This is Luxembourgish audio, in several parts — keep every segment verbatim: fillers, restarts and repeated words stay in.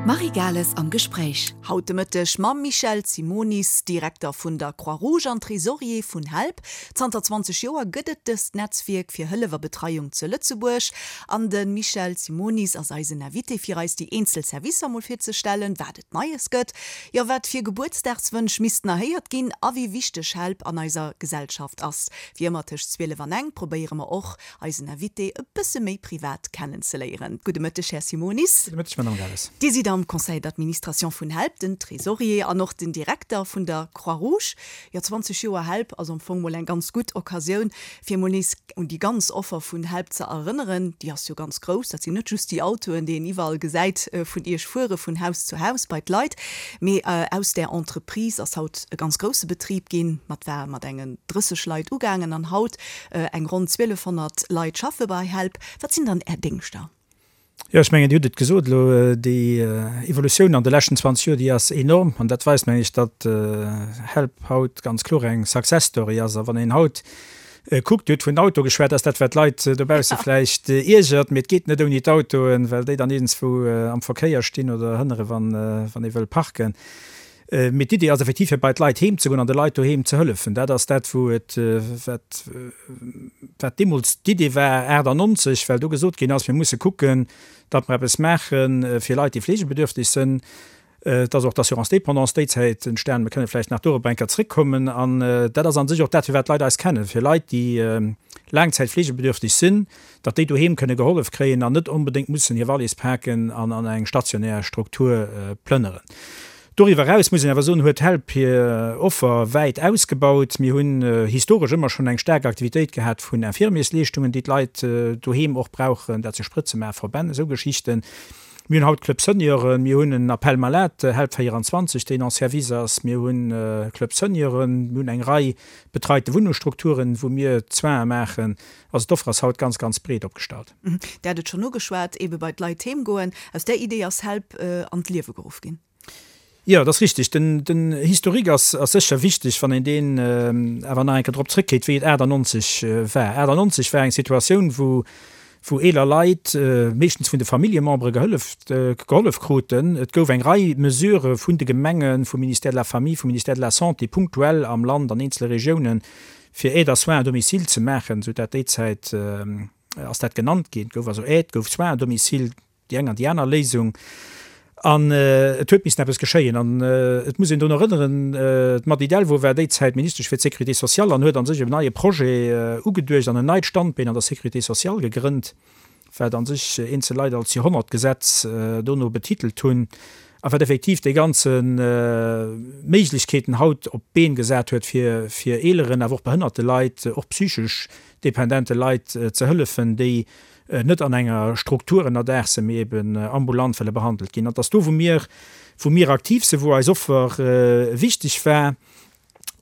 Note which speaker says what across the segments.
Speaker 1: D'Marie Gales am Gespréich.
Speaker 2: Haut de Mëtteg mam Michel Simonis, Direkter vun der Croix-Rouge an Tresorier vun HELP. Zanter zwanzeg Joer gëtt et dëst Netzwierk fir Hëllef a Betreiung zu Lëtzebuerg. An de Michel Simonis ass eisen Invité fir eis déi eenzel Servicer mol virzestellen, wat et Neies gëtt, jo wat fir Gebuertsdagswënsch missten erhéiert ginn a wéi wichteg HELP an eiser Gesellschaft ass. Wéi ëmmer tëscht zwielef an eng probéiere mer och, eisen Invité e bësse méi privat kennenzeléieren. Gudde Mëtteg, Här Simonis.
Speaker 3: Gudde Mëtteg, Madame Gales.
Speaker 2: Dir sidd am Conseil d'administration vun HELP, den Tresorier an och den Direkter vun der Croix-Rouge. Jo, zwanzeg Joer HELP ass am Fong mol eng ganz gutt Occasioun, fir mol nees un déi ganz Offer vun HELP ze erënneren. Déi ass jo ganz grouss, dat sinn net just déi Autoen, déi een iwwerall gesäit vun Iech fuere vun Haus zu Haus bei d'Leit, mee aus där Entreprise ass haut e ganz grousse Betrib ginn. Mat war mat engen drësseg Leit ugaangen an haut eng ronn zwielefhonnert Leit schaffe bei HELP. Wat sinn dann Är Déngschter?
Speaker 3: Jo, ech mengen, Dir hutt et gesot elo, déi Evolutioun an de leschten zwanzeg Joer, déi ass enorm. An dat weist, mengen ech, datt HELP haut ganz kloer eng Success Story ass. A wann een haut kuckt, Dir hutt vun Auto geschwat, ass dat, wat d'Leit dobausse vläicht iergert, mee et geet net ouni d'Autoen, well déi dann iergendswou am Verkéier stinn oder hënnere wann ee wëll parken. Mee d'Idee ass effektiv, fir bei d'Leit heem ze goen an de Leit doheem ze hëllefen. Dat ass dat, wou et, wat, wat deemools d'Idee war, aachtannonzeg, well do gesot ginn ass, mir musse kucken, datt mer eppes maache fir Leit, déi fleegebedürftig sinn. Et ass och d'Assurance dépendance déi Zäit entstanen. Mir kënne vläicht nach dorop eng Kéier zréckkommen. An dat ass a sech och dat, firwat d'Leit eis kennen, fir Leit, déi laang Zäit fleegebedürftig sinn, datt déi doheem kënne gehollef kréien an net onbedéngt mussen hir Wallis paken an an eng stationär Struktur plënneren. Doriwwer eraus muss een awer soen, huet HELP hir Offer wäit ausgebaut. Mir hunn historesch ëmmer schonn eng staark Aktivitéit gehat vun Infirmiersleeschtungen, déi d'Leit doheem och brauchen, dat si Sprëtze maachen, Verbänn, esou Geschichten. Mir hunn haut Club Senioren, mir hunn en Appel malade, HELP véierundzwanzeg, deen en Service ass, mir hunn Club Senioren, mir hunn eng Rei betreite Wunnungsstrukturen, wou mir d'Soine maachen. Also d'Offer ass haut ganz, ganz breet opgestallt.
Speaker 2: Dir hat et schonn ugeschwat, eebe bei d'Leit heem goen. Aus där Idee ass HELP an d'Liewe geruff ginn.
Speaker 3: Jo, dat ass richtig. Den, den Historique ass, ass sécher wichteg, wann een deen awer nach eng Kéier drop zrëckgeet, wéi et aachtannonzeg war. Aachtannonzeg war eng Situatioun, wou, wou eeler Leit, meeschtens vun de Familljemembere gehëlleft, gehollef kruten. Et gouf eng Rei Mesurë vun de Gemengen, vum Ministère de la Famille, vum Ministère de la Santé, punktuell am Land, an eenzele Regiounen, fir Aide à soins à domicile ze maachen, sou dat déi Zäit ass dat genannt ginn. Et gouf also Aide, gouf Soins à domicile, déi eng an déi aner Léisung. An et huet missen eppes geschéien. An et muss een drun erënneren, d'Mady Delvaux war déi Zäit Ministesch fir d'Sécurité sociale an huet a sech en neie Projet ugeduecht an en neit Standbeen an der Sécurité sociale gegrënnt, wat a sech eenzel Leit als Joerhonnertgesetz dono betitelt hunn a wat effektiv déi ganze Méiglechkeeten haut op d'Been gesat huet, fir fir eeleren, awer och behënnerte Leit, och psychesch dependente Leit ze hëllefen, déi net an enger Struktur ënnerdaach sinn, mee eben ambulant wëlle behandelt ginn. An et ass do, wou mir, wou mir aktiv sinn, wou eis Offer wichteg war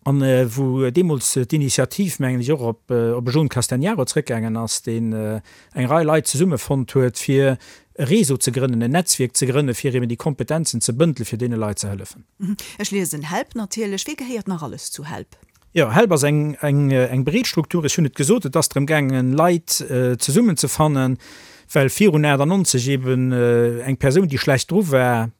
Speaker 3: an wou deemools d'Initiativ, mengen ech, och op, op e John Castegnaro zrëckgaangen ass, deen eng Rei Leit zesummefonnt huet, fir e Réseau ze grënnen, en Netzwierk ze grënnen, fir eben déi Kompetenzen ze bëndelen, fir deene Leit ze hëllefen.
Speaker 2: Ech liesen HELP natierlech. Wie gehéiert nach alles zu HELP?
Speaker 3: Jo, HELP ass eng, eng, eng breet Struktur. Ech hunn et gesot, et ass drëm gaangen, Leit zesummenzefannen, well virun aachtannonzeg eben eng Persoun, déi schlecht dru war,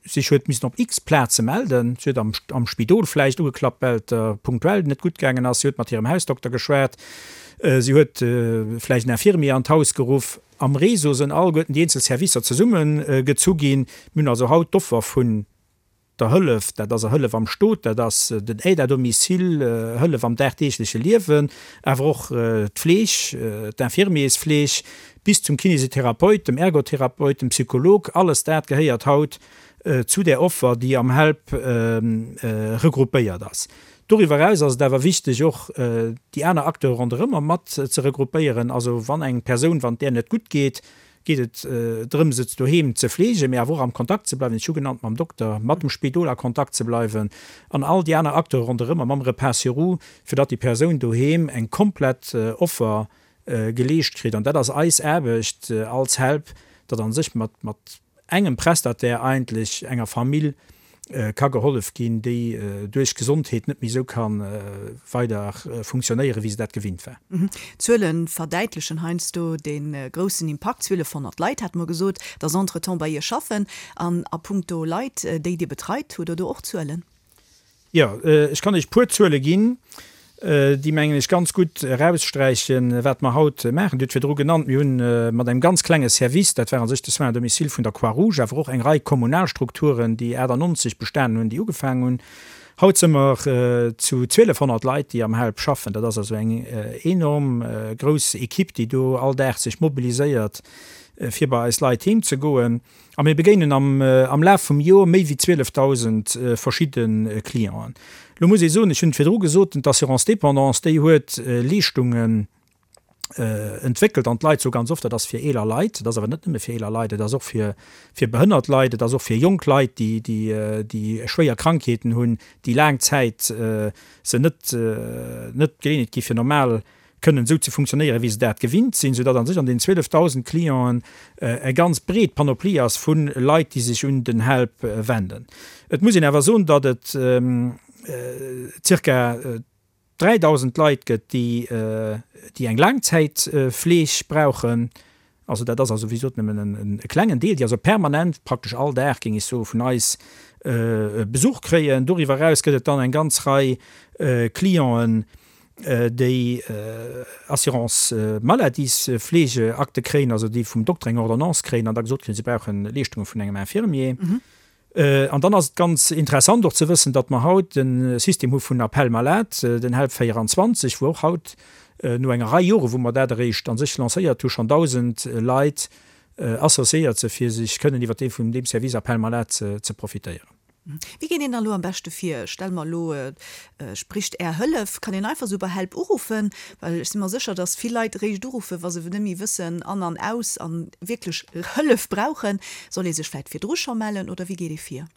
Speaker 3: sech huet missen op x Plaze melden. Si huet am, am Spidol vläicht ugeklappt, well et der punktuell net gutt gaangen ass. Si huet mat hirem Hausdokter geschwat. Si huet vläicht en Infirmier an d'Haus geruff. Am Réseau sënn alleguerten déi eenzel Servicer zesummegezu ginn. Mir hunn also haut d'Offer vun der Hëllef, dat ass Hëllef am Stot, dat ass den Aide à domicile, Hëllef am dagdeegleche Liewen, awer och d'Fleeg, d'Infirmiersfleeg, bis zum Kinésithérapeut, dem Ergotherapeut, dem Psycholog, alles dat gehéiert haut zu där Offer, déi am HELP regroupéiert ass. Doriwwer eraus ass et awer wichteg, och déi aner Acteure ronderëmmer mat ze regroupéieren. Also wann eng Persoun, wann et där net gutt geet, geet et drëms, et doheem ze fleegen, mee awer och am Kontakt ze bleiwen, ech hu genannt, mam Dokter, mat dem Spidol a Kontakt ze bleiwen an all déi aner Acteure ronderëmmer, mam Repas sur roues, fir datt déi Persoun doheem eng komplett Offer geleescht kritt. An dat ass eis Aarbecht als HELP, datt a sech mat, mat engem Prestataire eigentlech enger Famill ka gehollef ginn, déi duerch d'Gesondheet net méi esou ka weider funktionéieren, wéi se dat gewinnt war.
Speaker 2: D'Zuele verdäitlechen heiansdo dee groussen Impakt. Zwielefhonnert Leit, hate mer gesot, dass entretemps bei Iech schaffen. An a puncto Leit, déi Dir betreit, hutt Der do och Zuelen?
Speaker 3: Jo, ech kann Iech e puer Zuele ginn, déi, mengen ech, ganz gutt eraussträichen, wat mer haut maachen. Dir hutt virdru genannt, mir hunn mat engem ganz klenge Service, dat war a sech de Soins à domicile vun der Croix-Rouge, awer och eng Rei kommunal Strukturen, déi achtannonzeg bestanen hunn, déi ugefaangen hunn. Haut si mer zu zwielefhonnert Leit, déi am HELP schaffen. Dat ass also eng enorm grouss Equipe, déi do all Dag sech mobiliséiert, fir bei eis Leit heem ze goen. A mir begéinen am Laf vum Joer méi wéi zwielefdausend verschidde Clienten. Lo muss ee soen, ech hunn et virdru gesot, d'Assurance dépendance, déi huet Leeschtungen entwéckelt an d'Leit soe ganz oft, dat ass fir eeler Leit. Et ass awer net nëmme fir eeler Leit, et ass och fir behënnert Leit, et ass och fir jonk Leit, déi, déi schwéier Krankheeten hunn, déi laang Zäit se net, net d'Geleeënheet gi fir normal kënnen esou ze funktionéieren, wéi se dat gewinnt sinn, soudatt a sech an den zwielefdausend Clienten eng ganz breet Panoplie ass vu Leit, déi sech un den HELP wenden. Et muss een awer soen, datt et zirka dräidausend Leit gëtt, déi eng Laangzäitfleeg brauchen. Also dat ass also wéi gesot nëmmen e klengen Deel, déi also permanent, praktesch all Dag, géing ech soen, vun eis Besuch kréien. Doriwwer eraus gëtt et dann eng ganz Rei Clienten, déi Assurance Maladies-Fleegeakte kréien, also déi vum Dokter eng Ordonnance kréien an da gesot kréien, si brauche Leeschtunge vun engem Infirmier. An dann ass et ganz interessant och ze wëssen, datt mer haut e System hu vun Appel malade, den Help véieranzwanzeg, wou och haut no enger Rei Jore wou mer dat eréischt a sech lancéiert hu schonn dausend Leit associéiert se fir sech kënnen iwwer dee vun deem Service Appel malade ze profitéieren.
Speaker 2: Wéi geet een da elo am beschte vir? Ech stelle mer elo, ech bréicht Är Hëllef. Kann een einfach esou bei Help uruffen? Well ech si mer sécher, dass vill Leit eréischt uruffen, wa se net méi wëssen an an aus a wierklech Hëllef brauchen. Soll ee sech vläicht virdru scho mellen oder wéi geet ee vir?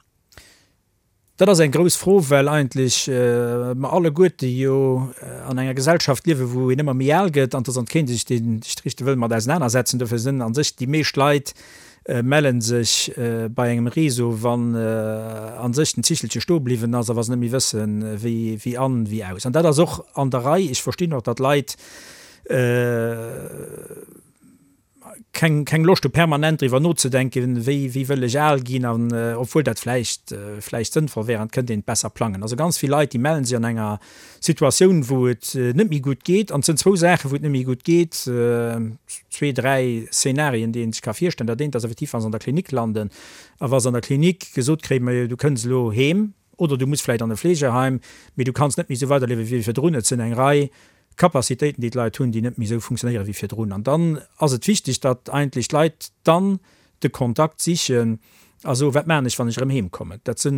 Speaker 3: Dat ass eng grouss Fro, well eigentlech mer alleguerte jo an enger Gesellschaft liewen, wou een ëmmer méi al gëtt an dass an et kéint ee sech dee Strich de wëll mat ausenanersetzen. Dofir sinn a sech déi meescht Leit melle sech bei engem Réseau, wann a sech den Zichelche stoe bliwwen ass a wa se net méi wëssen, wéi an, wéi aus. An dat ass och an der Rei. Ech verstinn och, datt Leit keng, keng Loscht hu permanent driwwer nozedenken, wéi, wéi wëll ech al ginn an obwuel dat vläicht, vläicht sënnvoll wär an et kënnt een et besser plangen. Also ganz vill Leit, déi mellen sech an enger Situatioun, wou et net méi gutt geet an et sënn zwou Saachen, wou et net méi gutt geet, zwee, dräi Szenarien, déi een sech ka virstellen. Dat eent ass effektiv, wa se an der Klinik landen a wa se an der Klinik gesot kréien, majo du kënns elo heem oder du muss vläicht an e Fleegeheim, mee du kanns net méi esou weiderliewen wéi virdrun. Et sinn eng Rei Capacitéiten, déi d'Leit hunn, déi net méi esou funktionéieren wéi virdrun. An dann ass et wichteg, datt eigentlech d'Leit dann de Kontakt sichen a soen, Wat maachen ech, wann ech erëm heem kommen? Dat si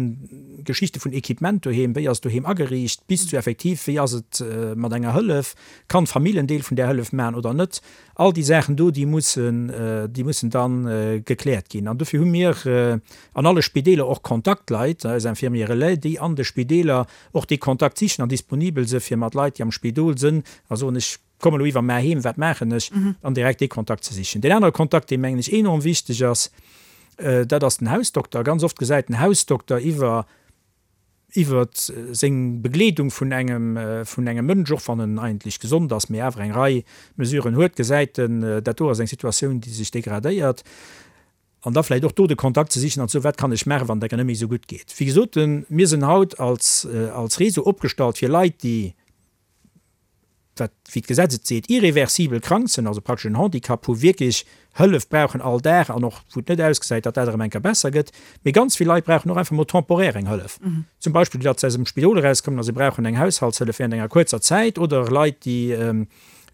Speaker 3: Geschichte vun Equipement doheem, wéi ass et doheem ageriicht, bis zu effektiv, wéi ass et mat enger Hëllef, kann d'Famill en Deel vun där Hëllef maachen oder net? All déi Saachen do, déi mussen, déi mussen da gekläert ginn. An dofir hu mir an alle Spideeler och Kontaktleit, eis Infirmiers relais, déi an de Spideeler och dee Kontakt sichen an disponibel se fir mat Leit, déi am Spidol sënn a soen, ech kommen elo iwwer mar heem, wat maachen ech, dann direkt dee Kontakt ze sichen. Deen anere Kontakt, dee mengen ech enorm wichteg ass, dat ass den Hausdokter. Ganz oft gesäit den Hausdokter iwwer iwwer seng Begleedung vun engem vun engem Mënsch, och wann en eigentlech gesond ass, mee awer eng Rei Mesuren huet, gesäit en, dat do ass eng Situatioun, déi sech degradéiert. An da vläicht och do de Kontakt ze sichen an ze soen, wat kann ech maachen, wann et enker net méi esou gutt geet. Wéi gesot, mir sinn haut als als Réseau opgestallt fir Leit, déi, wat, wéi d'Gesetz et seet, irreversibel krank sinn, also praktesch en Handicap hu, wierklech Hëllef brauchen all Dag an och wou et net ausgesäit, datt dat erëm eng Kéier besser gëtt. Mee ganz vill Leit brauchen och einfach mol temporaire eng Hëllef. Zum Beispill, datt se aus dem Spidol erauskommen a se brauchen eng Haushaltshëllef während enger kuerzer Zäit oder Leit, déi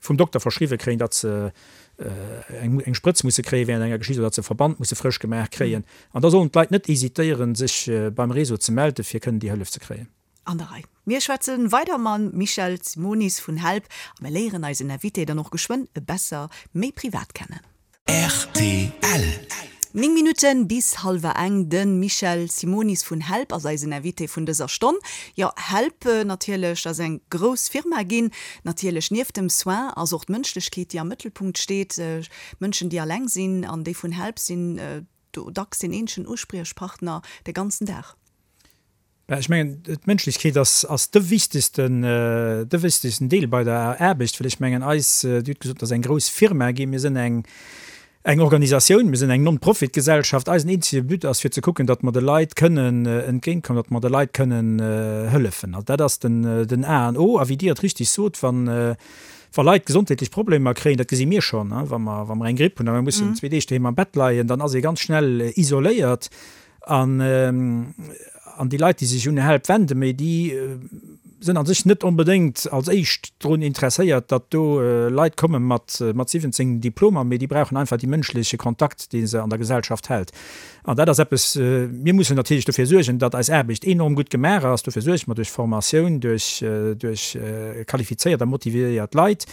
Speaker 3: vum Dokter verschriwwe kréien, datt se eng Sprëtz musse kréie während enger Geschicht oder datt se e Verband musse frësch gemaach kréien. An da sollen d'Leit net hésitéieren, sech beim Réseau ze melden, fir kënnen déi Hëllef ze kréien.
Speaker 2: An der Rei. Mir schwätze weider mam Michel Simonis vun Help a mir léieren eisen Invité dann och geschwënn e besser méi privat kennen. Rtl. Néng Minutten bis hallwer eng. De Michel Simonis vun Help ass eisen Invité vun dëser Stonn. Jo, Help natierlech ass eng grouss Firma ginn. Natierlech nieft dem Soin ass och d'Mënschlechkeet, déi am Mëttelpunkt steet. Mënschen, déi alleng sinn an déi vun Help sinn do dacks deen eenzegen Uspriechpartner de ganzen Dag.
Speaker 3: Ech mengen, d'Mënschlechkeet ass, ass de wichtegsten, de wichtegsten Deel bei der Aarbecht, well ech mengen, eis, Dir hutt gesot, et ass eng grouss Firma ginn, mir sinn eng, eng Organisatioun, mir sinn eng Non-Profit-Gesellschaft. Eisen eenzege But ass fir ze kucken, datt mer de Leit kënnen entgéintkommen, datt mer de Leit kënnen hëllefen. Also dat ass den, den A an O. A wéi Dir et richtig sot, wann, wa Leit gesondheetlech Problemer kréien, dat gesi mir schonn, wa mer, wa mer eng Gripp hunn a mir mussen zwee Deeg doheem am Bett leien, dann ass ee ganz schnell isoléiert. An, an déi Leit, déi sech un Help wenden, méi déi sinn a sech net onbedéngt als éischt drun interesséiert, datt do Leit komme mat, mat siwwenzéng Diplomer, mee déi brauchen einfach dee mënschleche Kontakt, dee se an der Gesellschaft hält. An dat ass eppes, mir mussen natierlech dofir suergen, datt eis Aarbecht enorm gutt gemaach ass. Dofir suerge mer duerch Formatioun, duerch, duerch qualifizéiert a motivéiert Leit.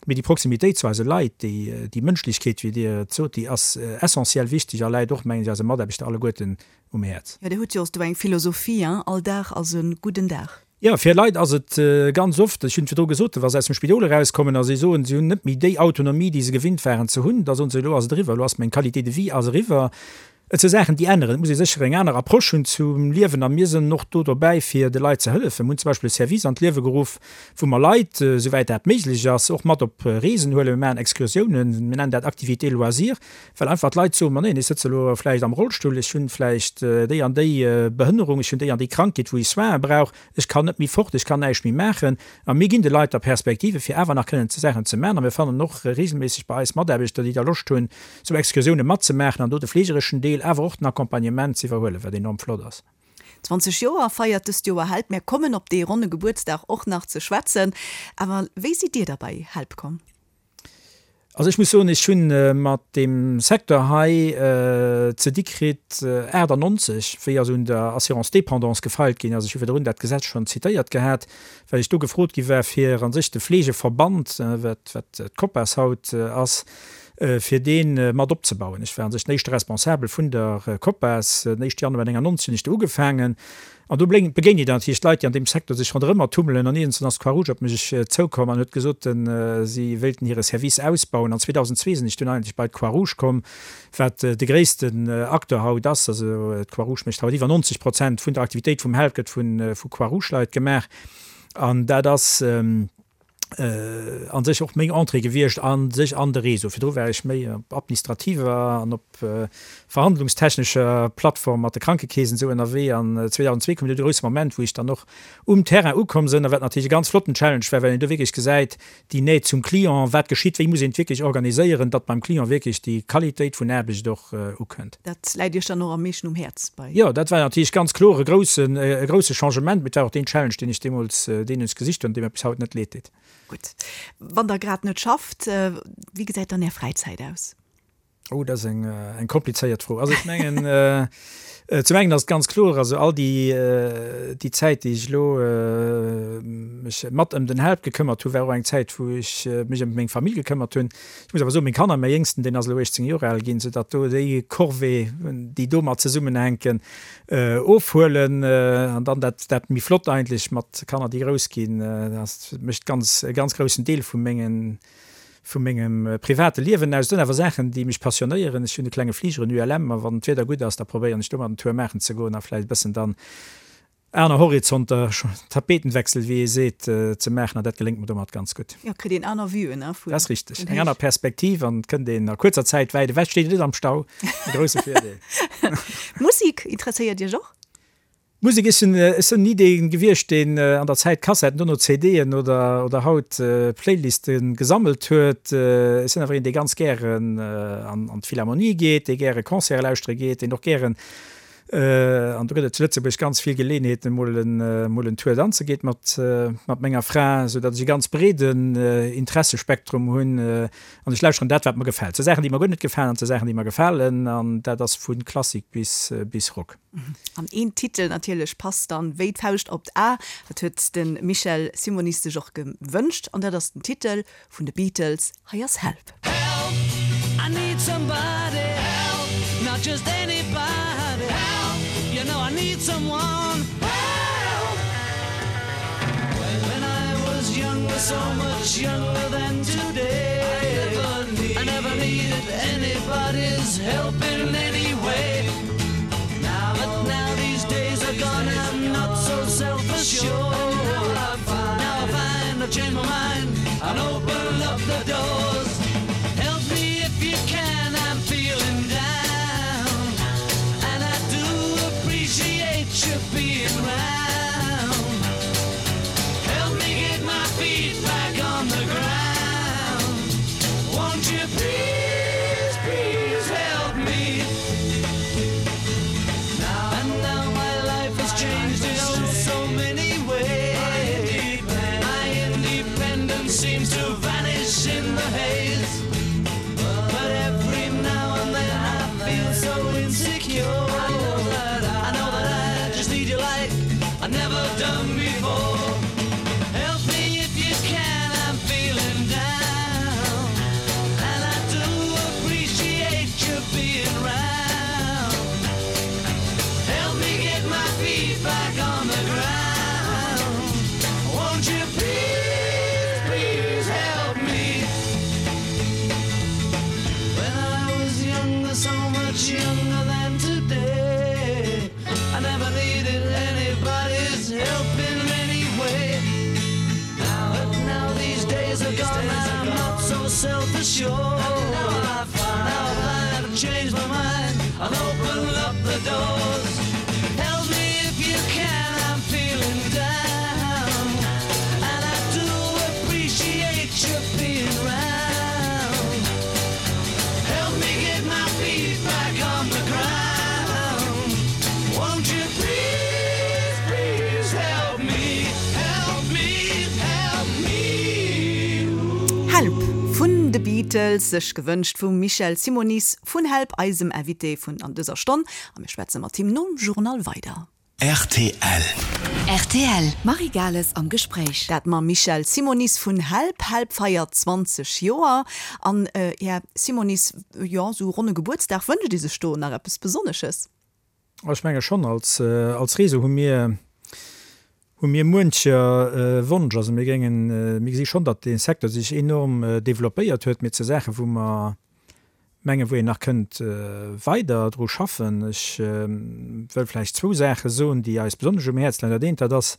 Speaker 3: Mee déi Proximitéit zu eise Leit, déi, déi Mënschlechkeet, wéi Dir et sot, déi ass essentiell wichteg a läit och, mengen ech, eise Mataarbechter alleguerten um Häerz.
Speaker 2: Jo, Dir hutt jo och do eng Philosophie, hein, All Dag ass e gudden Dag.
Speaker 3: Jo, fir Leit ass et ganz oft, ech hunn et virdru gesot, wa se aus dem Spidol erauskommen a si soen, si hunn net méi déi Autonomie, déi se gewinnt waren ze hunn, da soen se, elo ass et eriwwer, elo ass meng Qualité de vie ass eriwwer. Et si Saachen, déi änneren. Et muss ee sécher eng aner Approche hunn zum Liewen a mir sinn och do dobäi, fir de Leit ze hëllefen. Mir hunn zum Beispill e Service an d'Liewe geruff, wou mer Leit, souwäit dat méiglech ass, och mat op Reesen huelen. Mir maachen Excursiounen, mir nennen dat Activités loisirs, well einfach d'Leit soen, ma neen, ech sëtze elo vläicht am Rollstull, ech hunn vläicht déi an déi Behënnerung, ech hunn déi an déi Krankheet, wou ech Soine brauch, ech kann net méi fort, ech kann näischt méi maachen. A mir ginn de Leit da Perspektive fir awer nach kënnen Saachen ze maachen. A mir fannen och regelméisseg bei eis Mataarbechter, déi da Loscht hunn, sou Excursioune matzemaachen an do de fleegereschen Deel, awer och den Accompagnement ze iwwerhuelen, wat enorm flott ass.
Speaker 2: zwanzeg Joer feiert dëst Joer Help. Mir kommen op dee ronne Gebuertsdag och nach ze schwätzen. Awer wéi sidd Dir da bei Help komm?
Speaker 3: Also ech muss soen, ech hunn mat deem Secteur hei ze di kritt aachtannonzeg, wéi also un der Assurance dépendance gefeilt ginn ass. Ech hu virdrun dat Gesetz schonn zitéiert gehat, well ech do gefrot gi war, fir a sech de Fleegeverband, wat wat d'COPAS haut ass, fir dee mat opzebauen. Ech war a sech den éischte Responsabel vun der COPAS. Den éischte Januar néngannonzeg hunn ech do ugefaangen. An do begéint een dann natierlech Leit, déi an deem Secteur sech ronderëmmer tummelen. An iergendwann ass d'Croix-Rouge op mech zoukomm an huet gesot, si wéilten hire Service ausbauen. An zweedausend zwee sinn ech dunn eigentlech bei d'Croix-Rouge komm, wat de gréissten Acteur haut ass. Also d'Croix-Rouge mécht haut iwwer neunzeg Prozent vun der Aktivitéit vum HELP gëtt vu Croix-Rouge-Leit gemaach. An dat ass a sech och meng Entrée gewiescht a sech an de Réseau. Virdru war ech méi op administrativer an op verhandlungstechnescher Plattform mat de Krankekeesen esou ënnerwee. An zweedausend zwee koum du de grousse Moment, wou ech dann och um Terrain ukomm sinn, a wat natierlech e ganz flotten Challenge war, well een do wierklech gesäit, déi Näht zum Client, wat geschitt, wéi muss een et wierklech organiséieren, datt beim Client wierklech déi Qualitéit vun Aarbecht och ukënnt.
Speaker 2: Dat läit Iech dann och am meeschten um Häerz bei.
Speaker 3: Jo, dat war natierlech ganz kloer e groussen, e grousse Changement, mee et war och deen Challenge, deen ech deemools, deen ech gesicht hunn, dee mir bis haut net leed deet.
Speaker 2: Gutt. Wann Der grad net schafft, wéi gesäit dann Är Fräizäit aus?
Speaker 3: Oh, dat ass eng, eng komplizéiert Fro. Also ech mengen, zum engen ass et ganz kloer, also all déi, déi Zäit, déi ech elo mech mat ëm den Help gekëmmert hu, war och eng Zäit, wou ech mech ëm meng Famill gekëmmert hunn. Ech muss awer soen, meng Kanner, mäi Jéngsten, deen ass elo uechtzéng Joer al ginn, soudatt do déi Corvée, déi domat zesummenhänken, ofhuelen an dann dat, dat méi flott eigentlech mat Kanner, déi grouss ginn, dat mécht ganz, e ganz groussen Deel vu mengen, vu mengem private Liewen aus. Et sinn awer Saachen, déi mech passionéieren. Ech hunn e klenge Fliger, en U L M, a wann d'Wieder gutt ass, da probéieren ech domat en Tour maachen ze goen a vläicht e bëssen dann aner Horizonter, Tapetenwechsel, wéi ee seet, ze maachen, an dat geléngt mer domat ganz gutt.
Speaker 2: Jo, kritt een aner Vuen, ne,
Speaker 3: vun. Dat ass richteg, eng aner Perspektiv an et kënnt een a kuerzer Zäit wäit ewech, steet een net am Stau, e grousse Virdeel.
Speaker 2: Musek interesséiert Iech och?
Speaker 3: Musek, ech sinn, ech sinn ni dee gewiescht, deen an der Zäit Kassetten, dono C D'en oder, oder haut Playliste gesammelt huet. Ech sinn awer een, dee ganz gären an, an d'Philharmonie geet, dee gäre Concerte lauschtere geet, deen och gären, an do gëtt et zu Lëtzebuerg ganz vill Geleeënheeten, emol en, emol en Tour danze geet mat, mat menger Fra, sou datt ech e ganz breeden Interessespektrum hunn. An ech lauschteren dat, wat mer gefält. Zu Saachen, déi mer guer net gefalen, an zu Saachen, déi mer gefalen, an dat ass vu Klassik bis, bis Rock.
Speaker 2: An een Titel natierlech passt dann wéi d'Fauscht op d'A, dat huet de Michel Simonis sech och gewënscht, an dat ass den Titel vun de Beatles, hei ass Help.
Speaker 4: Help, I need somebody help, not just anybody help, you know I need someone help. When I was younger, so much younger than today, I never, need, I never needed anybody's help in any way. Now, but now these days are gone, I'm not so And open up the doors. Help me if you can, I'm feeling down. And I do appreciate you being round. Help me get my feet back on the ground. Won't you please, please help me? Now and now my life has changed in oh so many ways. My independence seems to vanish in the haze. But every now and then I feel so insecure. I know that I just need you like I never done before. Help me if you can, I'm feeling down. And I do appreciate you being round. Help me get my feet back on the ground. Won't you please, please help me? When I was younger, so much younger than today, I never needed anybody's help in any way. But now these days are gone, I'm not so self-assured. Now I've changed my mind and opened up the doors. Help me if you can, I'm feeling down. And I do appreciate you being round. Help me get my feet back on the ground. Won't you please, please help me? Help me, help me.
Speaker 2: Help vun de Beatles sech gewënscht vum Michel Simonis vun Help eisem Invité vun an dëser Stonn a mir schwätze mat him nom Journal weider.
Speaker 5: RTL.
Speaker 1: RTL Marie Gales am Gespréich.
Speaker 2: Dat mam Michel Simonis vun Help Help feiert zwanzeg Joer an äh, Här Simonis jo sou ronne Gebuertsdag wënscht Dir sech do nach eppes Besonnesches.
Speaker 3: Ech menge schonn als äh, als Réseau hu mir hu mir muencher äh, Wonsch also mir géingen äh, mir gesi schonn datt de Secteur sech enorm äh, developpéiert huet mat sou Saache wou mer menge wou een nach kënnt äh, weider dru schaffen. Ech äh, wëll vläicht zwou Saache soen, déi eis besonnesch um Häerz leien. Dat eent dat ass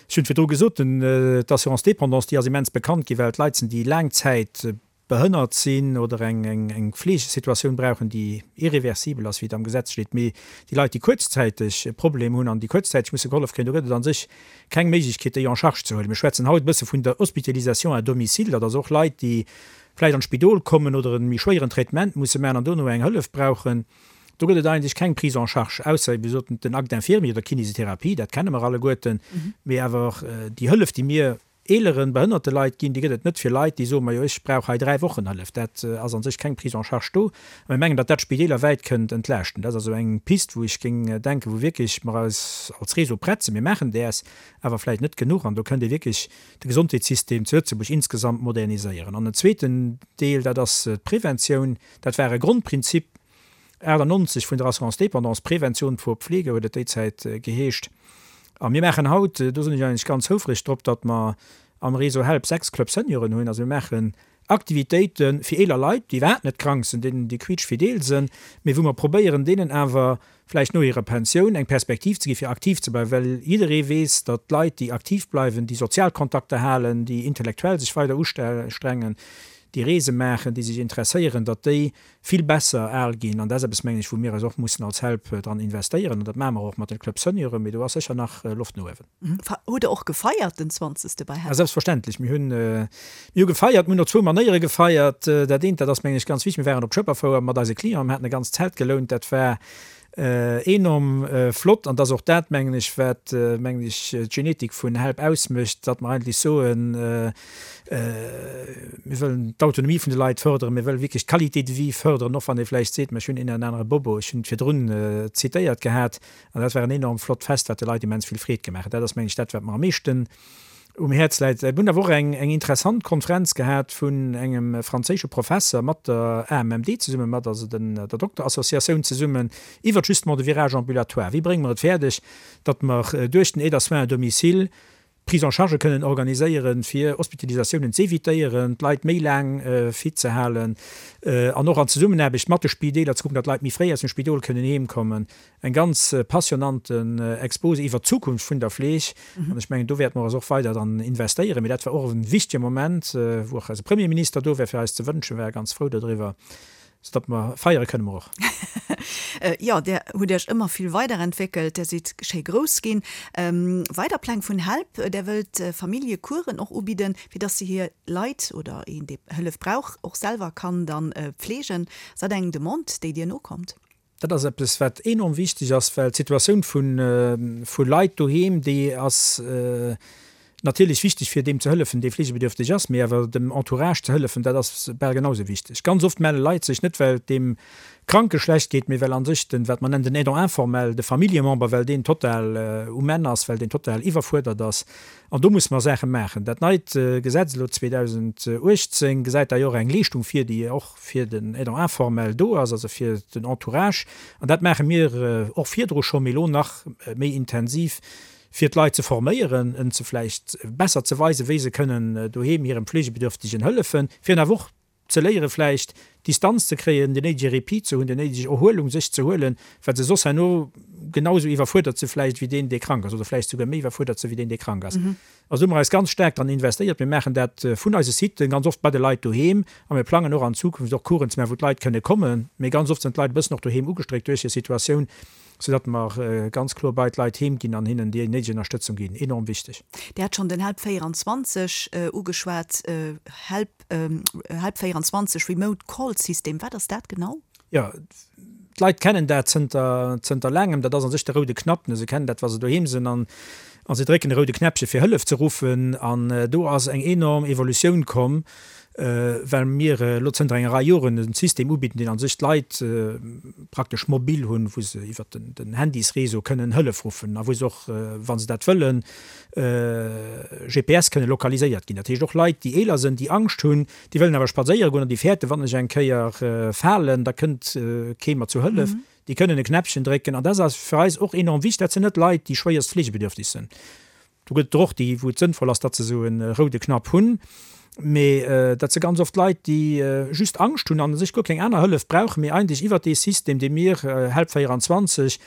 Speaker 3: ech hunn virdru gesot, den, äh, d'Assurance dépendance, déi ass immens bekannt gi well et Leit sinn, déi laang Zäit äh, behënnert sinn oder eng, eng, eng Fleegesituatioun brauchen, déi irreversibel ass, wéi et am Gesetz steet. Mee déi Leit, déi kuerzzäiteg e Problem hunn an déi kuerzzäiteg musse gehollef kréien, do gëtt et an sech keng Méiglechkeet, déi en charge ze huelen. Mir schwätzen haut e bësse vun der Hospitalisation à domicile, dat ass och Leit, déi vläicht an d'Spidol kommen oder e méi schwéieren Traitement musse maachen an dono eng Hëllef brauchen. Do gëtt et eigentlech keng Prise en charge, ausser wéi gesot den Acte infirmier oder Kinésithérapie, dat kenne mer alleguerten. Mee awer och äh, déi Hëllef, déi mir eeleren behënnerte Leit ginn, déi gëtt et net fir Leit, déi soen, ma jo, ech brauch hei dräi Wochen Hëllef. Dat äh, ass an sech keng Prise en charge do. A mir mengen, datt dat d'Spideeler wäit kënnt entlaaschten. Dat ass also eng Pist, wou ech géing äh, denken, wou wierklech mer als, als Réseau prett sinn. Mir maachen däers, awer vläicht net genuch an do kënnt ee wierklech de Gesondheetssystem zu Lëtzebuerg insgesamt moderniséieren. An den zweeten Deel, dat ass äh, d'Preventioun. Dat war e Grondprinzip achtannonzeg vun der Assurance dépendance, Prävention vor Pflege huet et déi Zäit äh, geheescht. A mir maachen haut, äh, do sinn ech eigentlech ganz houfreg drop, datt mer am Réseau Help sechs Club Senioren hunn. Also mir maachen Aktivitéite fir eeler Leit, déi iwwerhaapt net krank sinn, deenen déi quietschfidel sinn, mee wou mer probéieren, deenen awer vläicht no hirer Pensioun eng Perspektiv ze gi fir aktiv ze bleiwen, well jidderee weess, datt Leit, déi aktiv bleiwen, déi sozial Kontakter halen, déi intellektuell sech weider ustrengen, déi Reese maachen, déi sech interesséieren, datt déi vill besser al ginn. An dat ass eppes, mengen ech, wou mir eis och mussen als Help dran investéieren. An dat maache mer och mat de Club Senioren, mee do ass sécher nach äh, Loft no uewen.
Speaker 2: Mhm. Hutt Der och gefeiert den zwanzegste bei Help?
Speaker 3: Ja, selbstverständlech. Mir hunn äh, mir hu gefeiert, mir hunn op zwou Manéiere gefeiert. Äh, dat eent, dat ass mengen ech ganz wichteg, mir waren op Schëpperfouer mat eise Clienten, mir haten e ganzt Zelt gelount, dat war äh, enorm äh, flott an dat ass och dat mengen ech wat äh, mengen ech d'Genetik vun Help ausmécht, datt mer eigentlech soen äh, äh, mir wëllen d'Autonomie vun de Leit fërderen, mir wëlle wierklech d'Qualité de vie fërderen, och wann ee vläicht seet, ech hunn een oder anere Bobo, ech hunn virdrun äh, zitéiert gehat an dat war en enorm flott Fest, wat de Leit immens vill Freed gemaach huet. Dat ass mengen ech dat, wat mer am meeschten um Häerz läit. Mir hunn awer och eng eng interessant Konferenz gehat vun engem franséische Professer mat der A M M D zesummen, mat also den der Dokterassociatioun zesummen, iwwer justement de Virage ambulatoire. Wéi brénge mer et fäerdeg, datt mer duerch den Aide à soins à domicile Prise en charge kënnen organiséieren, fir Hospitalisatiounen z'evitéieren, d'Leit méi laang fit ze halen an och an Zesummenaarbecht mat de Spideeler ze kucken, datt d'Leit méi fréi aus dem Spidol kënnen heem kommen. Eng ganz passionnanten Exposé iwwert d'Zukunft vun der Fleeg an ech mengen, do wäerte mer eis och weider dran investéieren. Mee dat war och e wichtege Moment, wou och eise Premierminister do war, fir eis ze wënschen, war ganz frou dodriwwer. Soudatt mer feiere kënne mer och.
Speaker 2: Jo, Där hutt Iech ëmmer vill weiderentwéckelt, Där sidd schéi grouss ginn. Weider Pläng vun Help, Där wëllt Familljecoursen och ubidden, fir dass se hir Leit oder een, dee Hëllef brauch, och selwer kann dann pfleegen. Ass dat eng Demande, déi Dir nokommt?
Speaker 3: Dat ass eppes, wat enorm wichteg ass, well d'Situatioun vu Leit doheem, déi ass natierlech wichteg, fir deem ze hëllefen, dee fleegebedürfteg ass, mee awer dem Entourage ze hëllefen, dat ass bal genau esou wichteg. Ganz oft melle Leit sech net, well et deem Kranke schlecht geet, mee well a sech den, wat mer nennen den Aidant informel, de Familljemember, well deen total um Enn ass, well deen total iwwerfuerdert ass. An do musse mer Saache maachen. Dat neit Gesetz elo zweedausenduechtzéng gesäit da jo och eng Leeschtung vir, déi och fir den Aidant informel do ass, also fir den Entourage. An dat maache mir och virdru scho, mee elo nach méi intensiv, fir d'Leit ze forméieren, en ze vläicht besser ze weisen, wéi se kënnen doheem hirem Fleegebedürftegen hëllefen, fir en awer och ze léiere vläicht Distanz ze kréien, den néidege Répit ze hunn, déi néideg Erhuelung sech ze huelen, well se soss herno genau esou iwwerfuerdert si vläicht wéi deen, dee krank ass, oder vläicht souguer méi iwwerfuerdert si wéi deen, dee krank ass. Also do hu mer eis ganz staark dran investéiert. Mir maachen dat vun eise Siten, ganz oft bei de Leit doheem, a mir plangen och an Zukunft och Coursen ze maachen, wou d'Leit kënne kommen. Mee ganz oft sinn d'Leit e bëssen och doheem ugestréckt duerch hir Situatioun, soudatt mer ganz kloer bei d'Leit heem ginn an hinnen déi néideg Ënnerstëtzung ginn. Enorm wichteg.
Speaker 2: Dir hat schonn den Help véierundzwanzeg ugeschwat. Help, Help véierundzwanzeg Remote Call System, wat ass dat genau?
Speaker 3: Jo, d'Leit kennen dat zënter, zënter laangem. Dat ass a sech de roude Knapp. Se kennen dat, wa se doheem sinn an a se drécken de roude Knäppche fir Hëllef ze ruffen. An do ass eng enorm Evolutioun komm, well mir elo zënter enger Rei Joren e System ubidden, deen a sech d'Leit praktesch mobil hunn, wou se iwwert den Handysréseau kënnen Hëllef ruffen a wou se och, wa se dat wëllen, G P S kënne lokaliséiert ginn. Dat heescht och Leit, déi eeler sinn, déi Angscht hunn, déi wëllen awer spadséiere goen an déi fäerten, wann ech eng Kéier falen, da kënnt kee mer zu Hëllef. Déi kënnen e Knäppchen drécken an dat ass fir eis och enorm wichteg. Dat sinn net Leit, déi schwéierst fleegebedürftig sinn. Do gëtt et der och, déi, wou et sënnvoll ass, datt se esou e roude Knapp hunn. Mee dat si ganz oft Leit, déi just Angscht hunn an u sech guer keng aner Hëllef brauchen, mee eigentlech iwwert dee System, dee mir, Help véierundzwanzeg,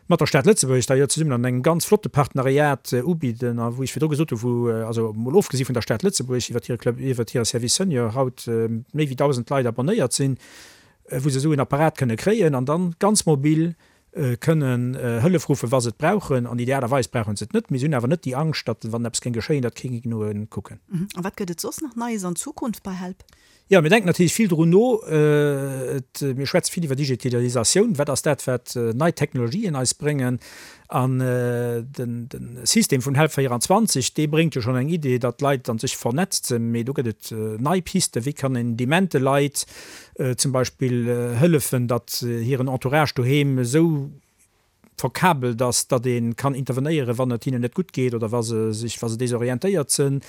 Speaker 3: mat der Stad Lëtzebuerg da jo zesummen an engem ganz flotte Partenariat ubidden a wou ech virdru gesot hu wou, also mol ofgesi vun der Stad Lëtzebuerg, iwwert hire Club, iwwert hire Service Senior haut méi wéi dausend Leit abonnéiert sinn, wou se esou en Apparat kënne kréien an dann ganz mobil kënnen Hëllef ruffen, wa se et brauchen. An idealerweis brauche se et net, mee se hunn awer net déi Angscht, datt, wann eppes géing geschéien, datt kee géing no hinnen kucken.
Speaker 2: A wat gëtt et soss nach Neies an Zukunft bei Help?
Speaker 3: Jo, mir denken natierlech vill dru no. Et, mir schwätze vill iwwer Digitalisatioun. Wat ass dat, wat nei Technologien eis bréngen? An den, de System vun Help véierundzwanzeg, dee bréngt jo schonn eng Idee, datt d'Leit an sech vernetzt sinn. Mee do gëtt et nei Pisten, Wéi kann een demente Leit zum Beispill hëllefen, datt hiren Entourage doheem esou verkabelt ass, datt ee kann intervenéieren, wann et hinnen net gutt geet oder wa se sech, wa se desorientéiert sinn.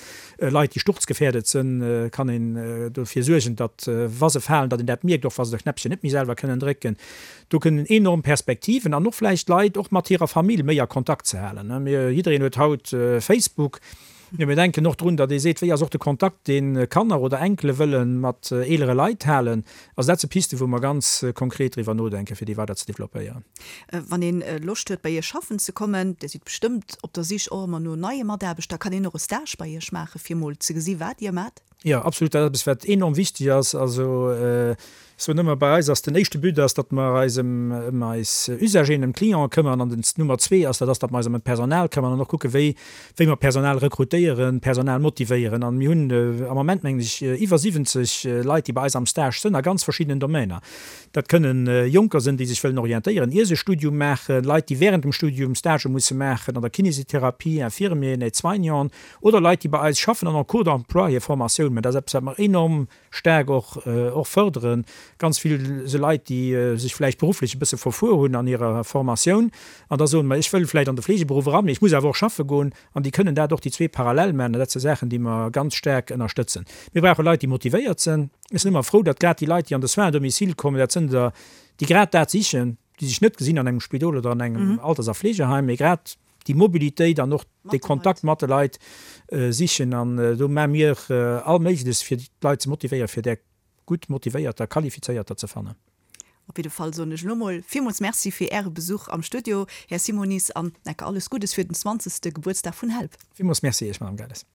Speaker 3: Leit, déi sturzgefährdet sinn, kann een dofir suergen, datt, wa se falen, datt een dat mierkt, och wa se de Knäppchen net méi selwer kënnen drécken. Do kënnen enorm Perspektiven an och vläicht Leit och mat hirer Famill méi a Kontakt ze halen. Mir, jiddereen huet haut Facebook. Mee mir denken och drun, datt ee seet, wéi ass och de Kontakt, dee Kanner oder Enkele wëlle mat eelere Leit halen. Also dat si Pisten, wou mer ganz konkret driwwer nodenken, fir déi weider ze developpéieren.
Speaker 2: Wann ee Loscht huet, bei Iech schaffen ze kommen, Dir sidd bestëmmt op der Sich och ëmmer no neie Mataarbechter, kann een och e Stage bei Iech maachen, fir mol ze gesi wat Dir maacht?
Speaker 3: Jo, absolut. Dat ass eppes, wat enorm wichteg ass. Also ech soen ëmmer, bei eis ass den éischte But ass, datt mer eis ëm ëm eis Usageren, ëm d'Clienten këmmern an den Nummer zwee ass, dat ass, datt mer eis ëm d'Personal këmmern an och kucke wéi wéi mer Personal rekrutéieren, Personal motivéieren. An mir hunn am Moment, mengen ech, iwwer siwwenzeg Leit, déi bei eis am Stage sënn a ganz verschiddenen Domainer. Dat kënnen Jonker sënn, déi sech wëllen orientéieren, ier se Studium maachen, Leit, déi während dem Studium Stagë musse maachen an der Kinésithérapie, Infirmieren, Aide-soignanten oder Leit, déi bei eis schaffen an en cours d'emploi hir Formatioun maachen. Dat ass eppes, wat mer enorm staark och och fërderen. Ganz vill esou Leit, déi sech vläicht berufflech e bësse verfuer hunn an hirer Formatioun an da soen, ma ech wëll vläicht an de Fleegeberuff eran, mee ech muss awer och schaffe goen an déi kënnen dat och déi zwee parallel maachen. An dat si Saachen, déi mer ganz staark ënnerstëtzen. Mir brauche Leit, déi motivéiert sinn. Ech sinn ëmmer frou, datt grad déi Leit, déi an de Soins à domicile kommen, dat sënn der, déi grad dat sichen, déi sech net gesinn an engem Spidol oder an engem Alters a Fleegeheim, mee grad déi Mobilitéit an och dee Kontakt mat de Leit sichen. An do maache mir all Méigleches, fir d'Leit ze motivéieren, fir där gutt motivéierter, qualifizéierter ze fannen.
Speaker 2: Op jidde Fall soen ech elo mol villmools Merci fir Äre Besuch am Studio, Här Simonis, an enke alles Guddes fir den zwanzegste Gebuertsdag vun HELP.
Speaker 3: Villmools Merci Iech, Madame Gales.